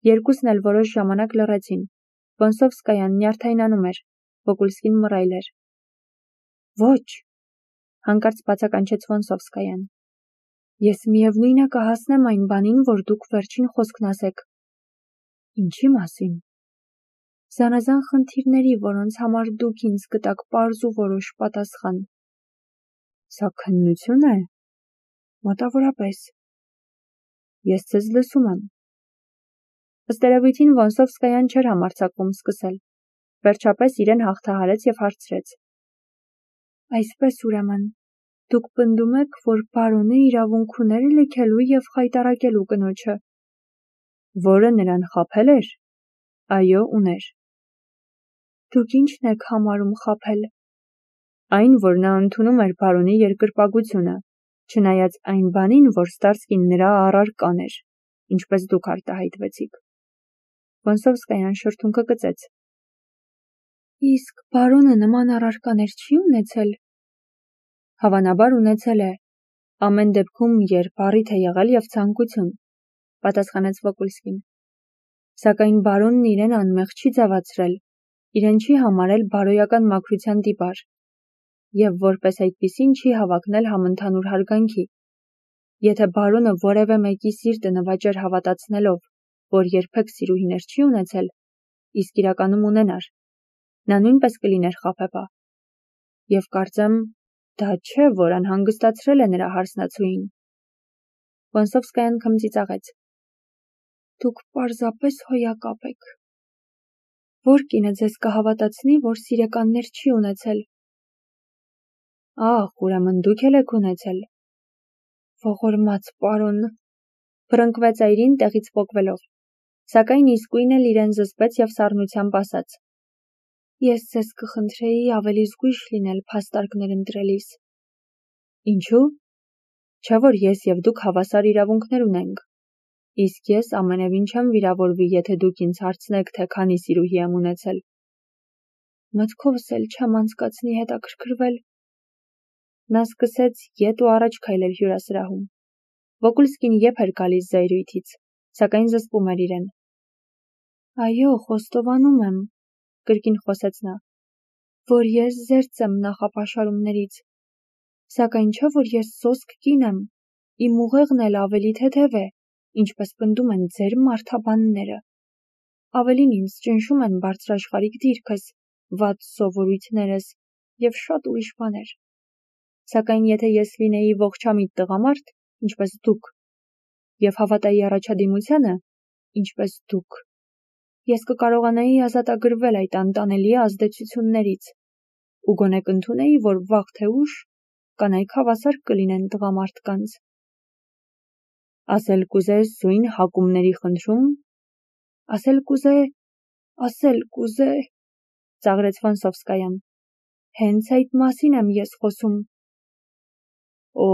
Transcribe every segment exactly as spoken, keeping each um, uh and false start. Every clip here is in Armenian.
Երկուսն էլ որոշ ժամանակ լռեցին։ Վոնսովսկայան նյարդայնանում էր, Վոկուլսկին մռայլ էր։ Ոչ, հանկարծ բացականչեց Վոնսովսկայան։ Ես միևնույն է կհասնեմ այն բանին, որ դուք վերջին խոսքն ասեք։ Ինչի մասին։ Զանազան խնդիրների, որոնց համար դուք ինձ գտաք պարզ ու որոշ պատասխան։ Սա քննություն է։ Մոտավորապես։ Ես ձեզ լսում եմ։ Ըստ երևույթին Վոնսովսկայան չէր համարձակվում սկսել։ Վերջապես իրեն հաղթահարեց և հարցրեց. Այսպես ուրեմն, դուք պնդում եք, որ բարոնը իրավունք ուներ լքելու և խայտառակելու կնոջը։ Որը նրան խաբել էր։ Այո, ուներ։ Դուք ի՞նչն եք համարում խաբել։ Այն, որ նա ընդունում էր բարոնի երկրպագությունը, չնայած այն բանին, որ Ստարսկին նրա առարկան էր, ինչպես դուք արտահայտվեցիք։ Վոնսովսկայան շրթունքը կծեց։ Իսկ բարոնը նման առարկաներ չի ունեցել։ Հավանաբար ունեցել է։ Ամեն դեպքում, երբ առիթ է եղել և ցանկություն, պատասխանեց Վոկուլսկին։ Սակայն բարոնն իրեն անմեղ չի ձևացրել, իրեն չի համարել բարոյական մաքրության տիպար, և որպես այդպիսին չի հավակնել համընդհանուր հարգանքի։ Եթե բարոնը որևէ մեկի սիրտը նվաճեր հավատացնելով, որ երբեք սիրուհիներ չի ունեցել, իսկ իրականում ունենար, նա նույնպես կլիներ խաբեբա։ Եվ կարծեմ, դա չէ, որ անհանգստացրել է նրա հարսնացուին։ Վոնսովսկայան քմծիծաղեց։ Դուք պարզապես հոյակապ եք։ Որ կինը ձեզ կհավատացնի, որ սիրեկաններ չի ունեցել։ Ահ, ուրեմն դուք էլ եք ունեցել։ Ողորմած պարոն, փռնկվեց այրին տեղից պոկվելով, սակայն իսկույն էլ իրեն զսպեց և սառնությամբ ասաց. Ես ձեզ կխնդրեի ավելի զգույշ լինել փաստարկներ ընտրելիս։ Ինչու՞։ Չէ՞ որ ես և դուք հավասար իրավունքներ ունենք։ Իսկ ես ամենևին չեմ վիրավորվի, եթե դուք ինձ հարցնեք, թե քանի սիրուհի եմ ունեցել։ Մտքովս էլ չեմ անցկացնի հետաքրքրվել։ Նա սկսեց ետ ու առաջ քայլել հյուրասրահում։ Վոկուլսկին եփ էր գալիս զայրույթից, սակայն զսպում էր իրեն։ Այո, խոստովանում եմ, կրկին խոսեց նա, որ ես զերծ եմ նախապաշարումներից։ Սակայն չէ, որ ես սոսկ կին եմ, իմ ուղեղն էլ ավելի թեթև է, ինչպես պնդում են ձեր մարդաբանները։ Ավելին ինձ ճնշում են բարձրաշխարհիկ դիրքս, վատ սովորույթներս և շատ ուրիշ բաներ։ Սակայն եթե ես լինեի ողջամիտ տղամարդ, ինչպես դուք, և հավատայի առաջադիմությանը, ինչպես դուք, ես կկարողանայի ազատագրվել այդ անտանելի ազդեցություններից ու գոնե կընդունեի, որ վաղ թե ուշ կանայք հավասար կլինեն տղամարդկանց։ Ասել կուզես զույն հակումների խնդրում։ Ասել կուզե, ասել կուզե, ծաղրեց Վոնսովսկայան։ Հենց այդ մասին եմ ես խոսում։ Օ,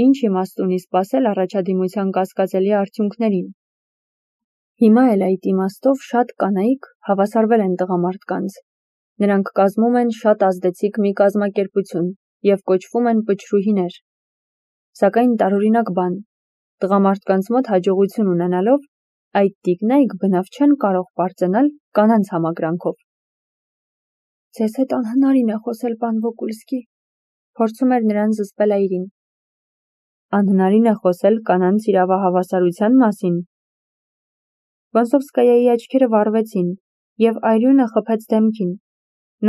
ինչ իմաստ ունի սպասել առաջադիմության կասկածելի արդյունքներին։ Հիմա էլ այդ իմաստով շատ կանայք հավասարվել են տղամարդկանց։ Նրանք կազմում են շատ ազդեցիկ մի կազմակերպություն և կոչվում են պչրուհիներ։ Սակայն տարօրինակ բան, տղամարդկանց մոտ հաջողություն ունենալով, այդ տիկնայք բնավ չեն կարող պարծենալ կանանց համակրանքով։ Ձեզ հետ անհնարին է խոսել, պան Վոկուլսկի, փորձում էր նրան զսպել այրին։ Անհնարին է խոսել կանանց իրավահավասարության մասին։ Վոնսովսկայայի աչքերը վառվեցին, և այրյունը խփեց դեմքին։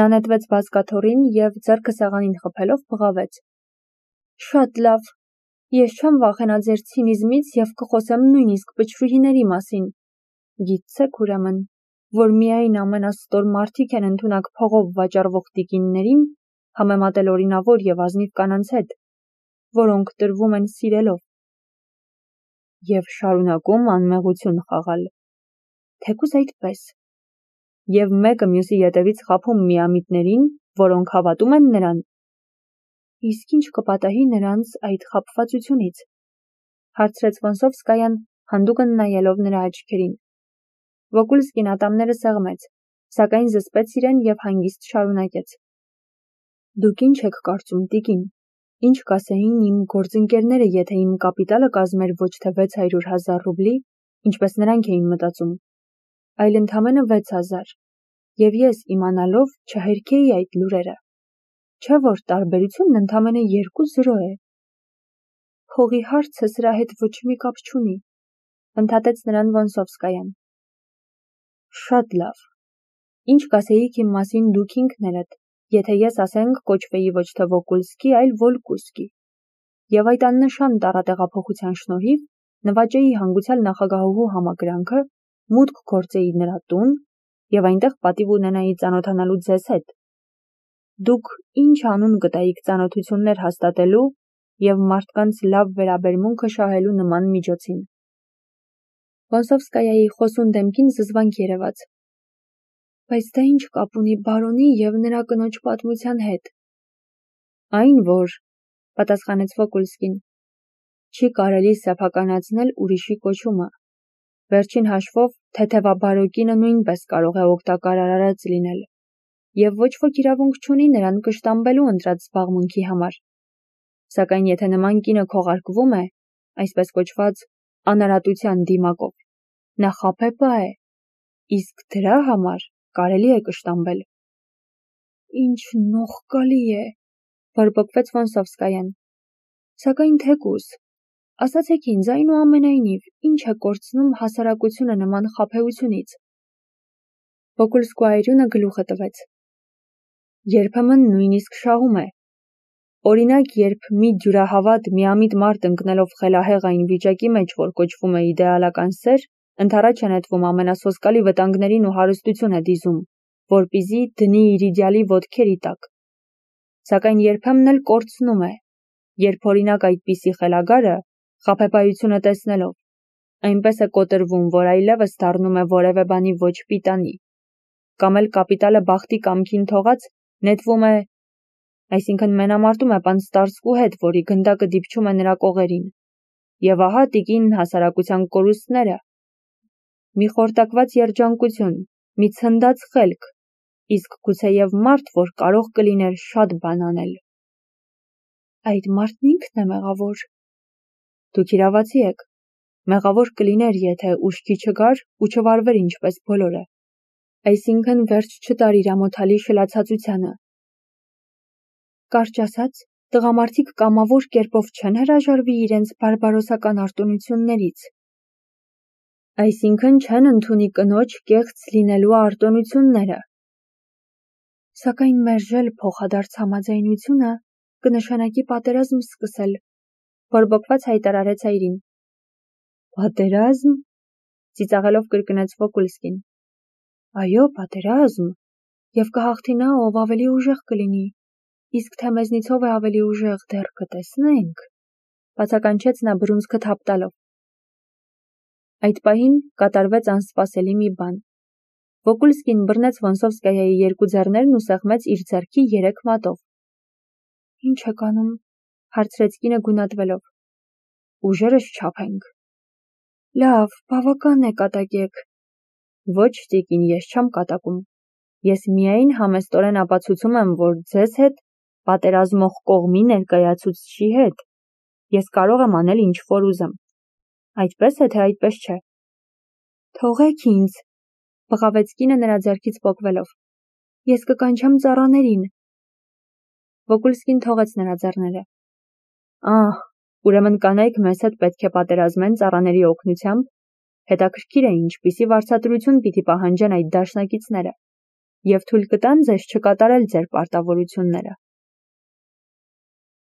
Նա նետվեց բազկաթոռին և ձեռքը սեղանին խփելով բղավեց. Շատ լավ, ես չեմ վախենա ձեր ցինիզմից և կխոսեմ նույնիսկ պչրուհիների մասին։ Գիտցեք ուրեմն, որ միայն ամենաստոր մարդիկ են ընդունակ փողով վաճառվող տիկիններին համեմատել օրինավոր և ազնիվ կանանց հետ, որոնք տրվում են սիրելով և շարունակում անմեղություն խաղալ։ Թեկուզ այդպես։ Եվ մեկը մյուսի ետևից խաբում միամիտներին, որոնք հավատում են նրան։ Իսկ ինչ կպատահի նրանց այդ խաբվածությունից, հարցրեց Վոնսովսկայան, հանդուգն նայելով նրա աչքերին։ Վոկուլսկին ատամները սեղմեց, սակայն զսպեց իրեն և հանգիստ շարունակեց. Դուք ինչ եք կարծում, տիկին, ինչ կասեին իմ գործընկերները, եթե իմ կապիտալը կազմեր ոչ թե վեց հարյուր հազար ռուբլի, ինչպես նրանք էին մտածում, այլ ընդամենը վեց հազար, և ես իմանալով չհերքեի այդ լուրերը, չէ որ տարբերությունն ընդամենը երկու զրո է։ Փողի հարցը սրա հետ ոչ մի կապ չունի, ընդհատեց նրան Վոնսովսկայան։ Շատ լավ, ինչ կասեիք իմ մասին դուք ինքներդ, եթե ես ասենք կոչվեի ոչ թե Վոկուլսկի, այլ Վոլկուսկի, և այդ աննշան տառատեղափոխության շնորհիվ նվաճեի հանգուցյալ նախագահուհու համակրանքը, մուտք գործեի նրա տուն և այնտեղ պատիվ ունենայի ծանոթանալու ձեզ հետ։ Դուք ինչ անուն կտայիք ծանոթություններ հաստատելու և մարդկանց լավ վերաբերմունքը շահելու նման միջոցին։ Վոնսովսկայայի խոսուն դեմքին զզվանք երևաց։ Բայց դա ինչ կապ ունի բարոնի և նրա կնոջ պատմության հետ։ Այն, որ, պատասխանեց Վոկուլսկին, չի կարելի սեփականացնել ուրիշի կոչումը։ Վերջին հաշվով թեթևաբարո կինը նույնպես կարող է օգտակար արարած լինել, և ոչ ոք իրավունք չունի նրան կշտամբելու ընտրած զբաղմունքի համար։ Սակայն եթե նման կինը քողարկվում է, այսպես կոչված, անարատության դիմակով, նա խաբեբա է, իսկ դրա համար կարելի է կշտամբել։ Ինչ նողկալի է, բորբոքվեց Վոնսովսկայան։ Սակայն թեկուզ, ասացեք ինձ այնուամենայնիվ, ինչ է կորցնում հասարակությունը նման խաբեությունից։ Վոկուլսկու այրյունը գլուխը տվեց։ Երբեմն նույնիսկ շահում է։ Օրինակ, երբ մի դյուրահավատ, միամիտ մարդ ընկնելով խելահեղ այն վիճակի մեջ, որ կոչվում է իդեալական սեր, ընդառաջ է նետվում ամենասոսկալի վտանգներին ու հարստություն է դիզում, որպեսզի դնի իր իդեալի ոտքերի տակ։ Սակայն երբեմն էլ կորցնում է, երբ օրինակ այդպիսի խելագարը, խաբեբայությունը տեսնելով, այնպես է կոտրվում, որ այլևս դառնում է որևէ բանի ոչ պիտանի, կամ էլ կապիտալը բախտի կամքին թողած նետվում է, այսինքն մենամարտում է պանստարսկու հետ, որի գնդակը դիպչում է նրա կողերին, և ահա տիկին հասարակության կորուստները, մի խորտակված երջանկություն, մի ցնդած խելք, իսկ գուցեև մարդ, որ կարող կլիներ շատ բան անել։ Այդ մարդն ինքն է մեղավոր։ Դուք իրավացի եք, մեղավոր կլիներ, եթե ուշքի չգար ու չվարվեր ինչպես բոլորը, այսինքն վերջ չտար իր ամոթալի շլացածությանը։ Կարճ ասած, տղամարդիկ կամավոր կերպով չեն հրաժարվի իրենց բարբարոսական արտոնություններից։ Այսինքն չեն ընդունի կնոջ կեղծ լինելու արտոնությունները։ Սակայն մերժել փոխադարձ համաձայնությունը կնշանակի պատերազմ սկսել, բորբոքված հայտարարեց այրին։ Պատերազմ, ծիծաղելով կրկնեց Վոկուլսկին։ Այո, պատերազմ, և կհաղթի նա, ով ավելի ուժեղ կլինի, իսկ թե մեզնից ով է ավելի ուժեղ, դեռ կտեսնենք, բացականչեց նա բռունցքը թափ տալով։ Այդ պահին կատարվեց անսպասելի մի բան։ Վոկուլսկին բռնեց Վոնսովսկայայի երկու ձեռներն ու սեղմեց իր ձեռքի երեք մատով։ Ինչ եք անում, հարցրեց կինը գունատվելով։ Ուժերս չափենք։ Լավ, բավական է կատակեք։ Ոչ, տիկին, ես չեմ կատակում։ Ես միայն համեստորեն ապացուցում եմ, որ ձեզ հետ, պատերազմող կողմի ներկայացուցչի հետ, ես կարող եմ անել ինչ որ ուզեմ։ Այդպես է, թե այդպես չէ։ Թողեք ինձ, բղավեց կինը նրա ձեռքից պոկվելով։ Ես կկանչեմ ծառաներին։ Վոկուլսկին թողեց նրա ձեռները։ Ահ, ուրեմն կանայք մեզ հետ պետք է պատերազմեն ծառաների օգնությամբ, հետաքրքիր է ինչպիսի վարձատրություն պիտի պահանջեն այդ դաշնակիցները, և թույլ կտան ձեզ չկատարել ձեր պարտավորությունները։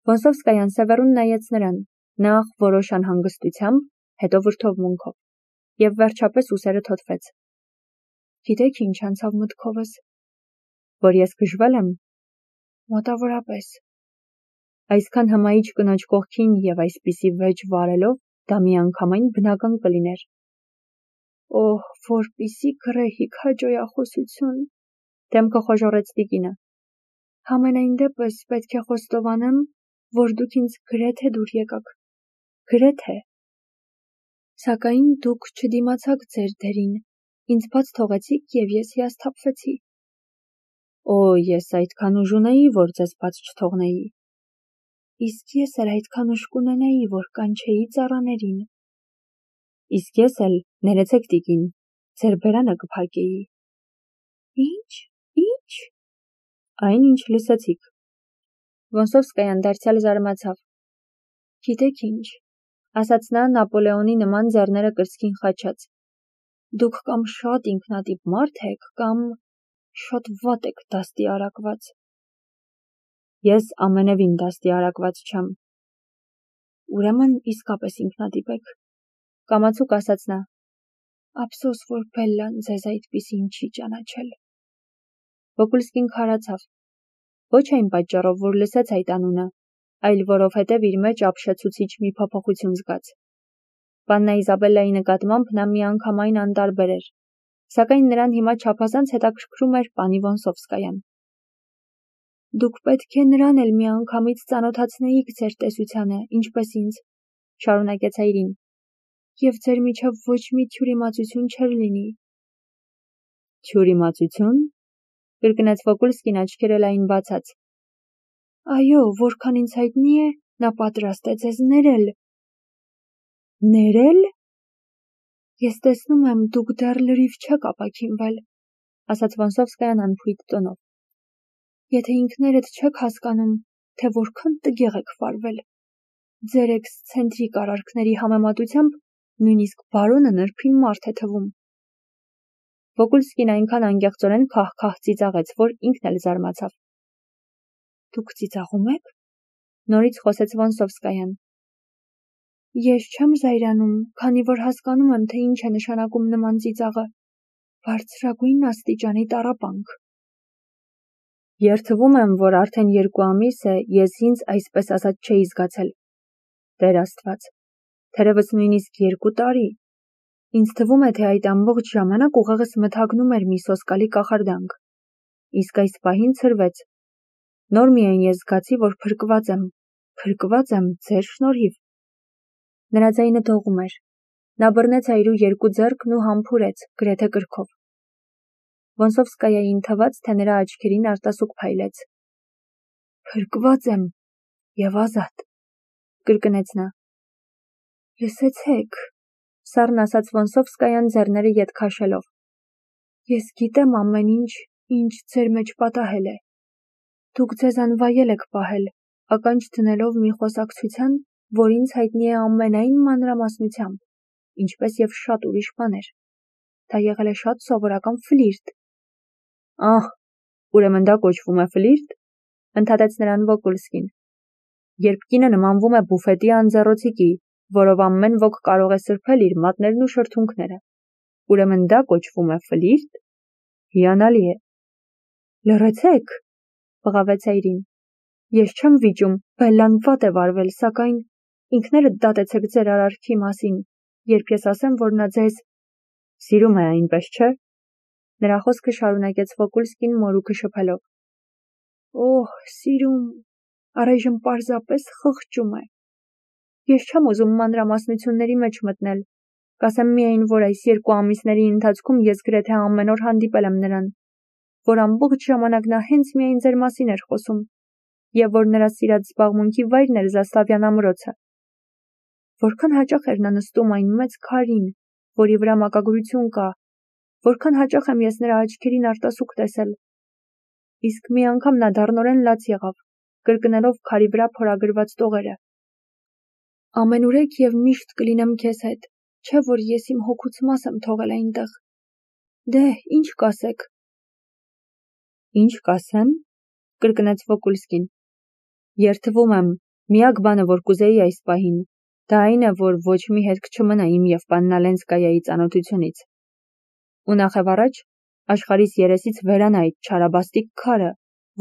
Վոնսովսկայան սևեռուն նայեց նրան, նախ որոշ անհանգստությամբ, հետո վրդովմունքով, և վերջապես ուսերը թոթվեց։ Գիտեք ինչ անցավ մտքովս, որ ես գժվել եմ։ Մոտավորապես։ Այսքան հմայիչ կնոջ կողքին և այսպիսի վեճ վարելով, դա միանգամայն բնական կլիներ։ Օհ, որպիսի գռեհիկ հաճոյախոսություն, դեմքը խոժոռեց տիկինը։ Համենայն դեպս պետք է խոստովանեմ, որ դուք ինձ գրեթե դուր եկաք, գրեթե։ Սակայն դուք չդիմացաք ձեր դերին, ինձ բաց թողեցիք և ես հիասթափվեցի։ Օ, ես այդքան ուժ ունեի, որ ձեզ բաց չթողնեի։ Իսկ ես էլ այդքան ուժ կունենայի, որ կանչեի ծառաներին։ Իսկ ես էլ, ներեցեք տիկին, ձեր բերանը կփակեի։ Ինչ, ինչ, այն ինչ լսեցիք։ Վոնսովսկայան դարձյալ զարմացավ։ Գիտեք ինչ, ասաց նա Նապոլեոնի նման ձեռները կրծքին խաչած։ Դուք կամ շատ ինքնատիպ մարդ եք, կամ շատ վատ եք դաստիարակված։ Ես ամենևին դաստիարակված չեմ։ Ուրեմն իսկապես ինքնատիպ եք, կամացուկ ասաց նա։ Ափսոս, որ Բելլան ձեզ այդպիսին չի ճանաչել։ Վոկուլսկին քարացավ։ Ոչ այն պատճառով, որ լսեց այդ անունը, այլ որովհետև իր մեջ ապշեցուցիչ մի փոփոխություն զգաց։ Պաննա Իզաբելլայի նկատմամբ նա միանգամայն անտարբեր էր, սակայն նրան հիմա չափազանց հետաքրքրում էր պանի Վոնսովսկայան։ Դուք պետք է նրան էլ միանգամից ծանոթացնեիք ձեր տեսությանը, ինչպես ինձ, շարունակեց այրին, և ձեր միջև ոչ մի թյուրիմացություն չէր լինի։ Թյուրիմացություն, կրկնեց Վոկուլսկին աչքերը լայն բացած։ Այո, որքան ինձ հայտնի է, նա պատրաստ է ձեզ ներել։ Ներել։ Ես տեսնում եմ, դուք դեռ լրիվ չեք ապաքինվել, ասաց Վոնսովսկայան անփույթ տոնով։ Եթե ինքներդ չեք հասկանում, թե որքան տգեղ եք վարվել, ձեր էքսցենտրիկ արարքների համեմատությամբ նույնիսկ բարոնը նրբին մարդ է թվում։ Վոկուլսկին այնքան անկեղծորեն քահ-քահ ծիծաղեց, որ ինքն էլ զարմացավ։ Դուք ծիծաղում եք, նորից խոսեց Վոնսովսկայան։ Ես չեմ զայրանում, քանի որ հասկանում եմ, թե ինչ է նշանակում նման ծիծաղը։ Բարձրագույն աստիճանի տառապանք։ Երդվում եմ, որ արդեն երկու ամիս է ես ինձ այսպես ասած չէի զգացել։ Տեր Աստված, թերևս նույնիսկ երկու տարի։ Ինձ թվում է, թե այդ ամբողջ ժամանակ ուղեղս մթագնում էր մի սոսկալի կախարդանք։ Իսկ այս պահին ցրվեց։ Նոր միայն ես զգացի, որ փրկված եմ, փրկված եմ ձեր շնորհիվ։ Նրա ձայնը դողում էր։ Նա բռնեց այրու երկու ձեռքն ու համբուրեց, գրեթե կրքով։ Վոնսովսկայային թվաց, թե նրա աչքերին արտասուք փայլեց։ Փրկված եմ և ազատ, կրկնեց նա։ Լսեցեք, սառն ասաց Վոնսովսկայան ձեռները ետ քաշելով։ Ես գիտեմ ամեն ինչ, ինչ ձեր մեջ պատահել է։ Դուք ձեզ անվայել եք պահել, ականջ դնելով մի խոսակցության, որ ինձ հայտնի է ամենայն մանրամասնությամբ, ինչպես և շատ ուրիշ բաներ։ Դա եղել է շատ սովորական ֆլիրտ։ Ահ, ուրեմն դա կոչվում է ֆլիրտ, ընդհատեց նրան Վոկուլսկին։ Երբ կինը նմանվում է բուֆետի անձեռոցիկի, որով ամեն ոք կարող է սրբել իր մատներն ու շրթունքները, ուրեմն դա կոչվում է ֆլիրտ։ Հիանալի է։ Լռեցեք, բղավեց այրին։ Ես չեմ վիճում, Բելլան վատ է վարվել, սակայն ինքներդ դատեցեք ձեր արարքի մասին, երբ ես ասեմ, որ նա ձեզ սիրում է, այնպես չէ։ Նրա խոսքը շարունակեց Վոկուլսկին մորուքը շփելով։ Օհ, սիրում, առայժմ պարզապես խղճում է։ Ես չեմ ուզում մանրամասնությունների մեջ մտնել, կասեմ միայն, որ այս երկու ամիսների ընթացքում ես գրեթե ամեն օր հանդիպել եմ նրան, որ ամբողջ ժամանակ նա հենց միայն ձեր մասին էր խոսում, և որ նրա սիրած զբաղմունքի վայրն էր Զաստավյան ամրոցը։ Որքան հաճախ էր նա նստում այն մեծ քարին, որի վրա մակագրություն կա, որքան հաճախ եմ ես նրա աչքերին արտասուք տեսել։ Իսկ մի անգամ նա դառնորեն լաց եղավ, կրկնելով քարի վրա փորագրված տողերը։ Ամենուրեք և միշտ կլինեմ քեզ հետ, չէ որ ես իմ հոգուց մաս եմ թողել այնտեղ։ Դե, ինչ կասեք։ Ինչ կասեմ, կրկնեց Վոկուլսկին։ Երդվում եմ, միակ բանը, որ կուզեի այս պահին, դա այն է, որ ոչ մի հետք չմնա իմ և պաննա Լենսկայայի ծանոթությունից։ Ու նախևառաջ, աշխարհիս երեսից վերանա այդ չարաբաստիկ քարը,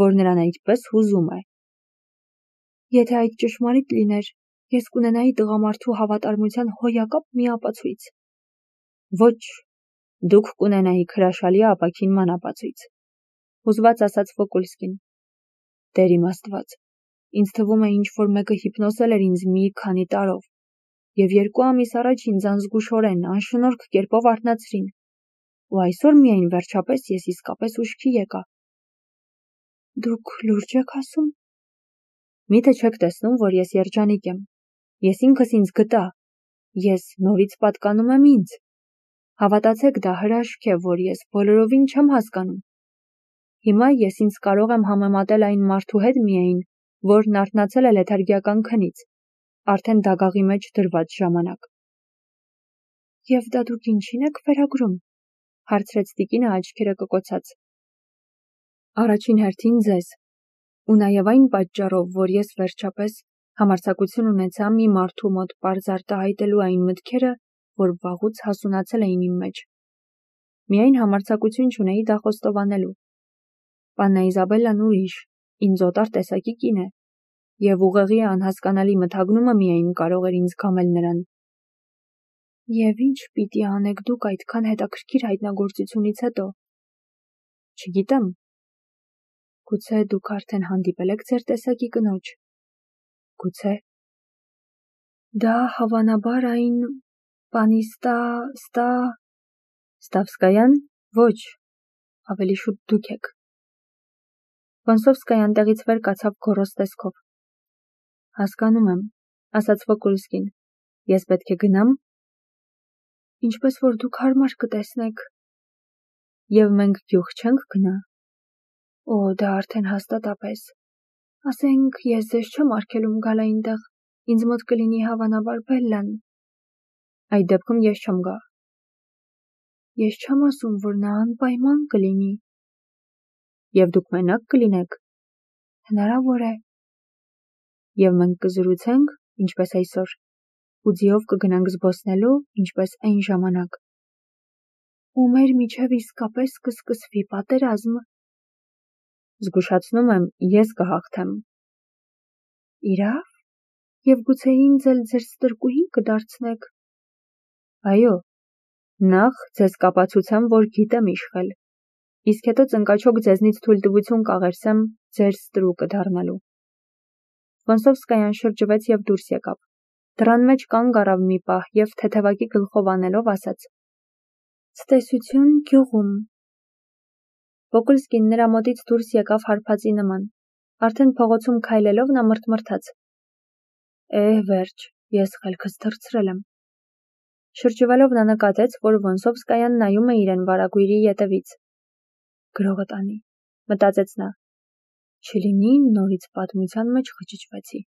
որ նրան այդպես հուզում է։ Եթե այդ ճշմարիտ լիներ, ես կունենայի տղամարդու հավատարմության հոյակապ մի ապացույց։ Ոչ, դուք կունենայիք հրաշալի ապաքինման ապացույց, հուզված ասաց Վոկուլսկին։ Տեր իմ Աստված, ինձ թվում է ինչ-որ մեկը հիպնոսել էր ինձ մի քանի տարով, և երկու ամիս առաջ ինձ անզգուշորեն, անշնորհք կերպով արթնացրին, ու այսօր միայն վերջապես ես իսկապես ուշքի եկա։ Դուք լուրջ եք ասում։ Միթե չեք տեսնում, որ ես երջանիկ եմ։ Ես ինքս ինձ գտա։ Ես նորից պատկանում եմ ինձ։ Հավատացեք, դա հրաշք է, որ ես բոլորովին չեմ հասկանում։ Հիմա ես ինձ կարող եմ համեմատել այն մարդու հետ միայն, որն արթնացել է լեթարգիական քնից, արդեն դագաղի մեջ դրված ժամանակ։ Եվ դա դուք ինչին եք վերագրում, հարցրեց տիկինը աչքերը կկոցած։ Առաջին հերթին ձեզ, ու նաև այն պատճառով, որ ես վերջապես համարձակություն ունեցա մի մարդու մոտ պարզ արտահայտելու այն մտքերը, որ վաղուց հասունացել էին իմ մեջ։ Միայն համարձակություն չունեի դա խոստովանելու։ Պաննա Իզաբելլան ուրիշ, ինձ օտար տեսակի կին է, և ուղեղի անհասկանալի մթագնումը միայն կարող էր ինձ քամել նրան։ Եվ ինչ պիտի անեք դուք այդքան հետաքրքիր հայտնագործությունից հետո։ Չգիտեմ։ Գուցե դուք արդեն հանդիպել եք ձեր տեսակի կնոջ։ Գուցե։ Դա հավանաբար այն պանի Ստա, Ստա… Ստավսկայան, ոչ, ավելի շուտ դուք եք։ Վոնսովսկայան տեղից վեր կացավ գոռոզ տեսքով։ Հասկանում եմ, ասաց Վոկուլսկին, ես պետք է գնամ։ Ինչպես որ դուք հարմար կտեսնեք։ Եվ մենք գյուղ չենք գնա։ Օ, դա արդեն հաստատապես։ Ասենք, ես ձեզ չեմ արգելում գալ այնտեղ, ինձ մոտ կլինի հավանաբար Բելլան։ Այդ դեպքում ես չեմ գա։ Ես չեմ ասում, որ նա անպայման կլինի։ Եվ դուք մենակ կլինեք։ Հնարավոր է։ Եվ մենք կզրուցենք, ինչպես այսօր, ու ձիով կգնանք զբոսնելու, ինչպես այն ժամանակ։ Ու մեր միջև իսկապես կսկսվի պատերազմ։ Զգուշացնում եմ, ես կհաղթեմ։ Իրավ, և գուցե ինձ էլ ձեր ստրկուհին կդարձնեք։ Այո, նախ ձեզ կապացուցեմ, որ գիտեմ իշխել, իսկ հետո ծնկաչոք ձեզնից թույլտվություն կաղերսեմ ձեր ստրուկը դառնալու։ Վոնսովսկայան շրջվեց և դուրս եկավ։ Դռան մեջ կանգ առավ մի պահ և թեթևակի գլխով անելով ասաց. Ցտեսություն գյուղում։ Վոկուլսկին նրա մոտից դուրս եկավ հարբածի նման։ Արդեն փողոցում քայլելով նա մռթմռթաց. Էհ, վերջ, ես խելքս թռցրել եմ։ Շրջվելով նա նկատեց, որ Վոնսովսկայան նայում է իրեն վարագույրի ետևից։ Գրողը տանի, մտածեց նա։ Չլինի նորից պատմության մեջ խճճվեցի։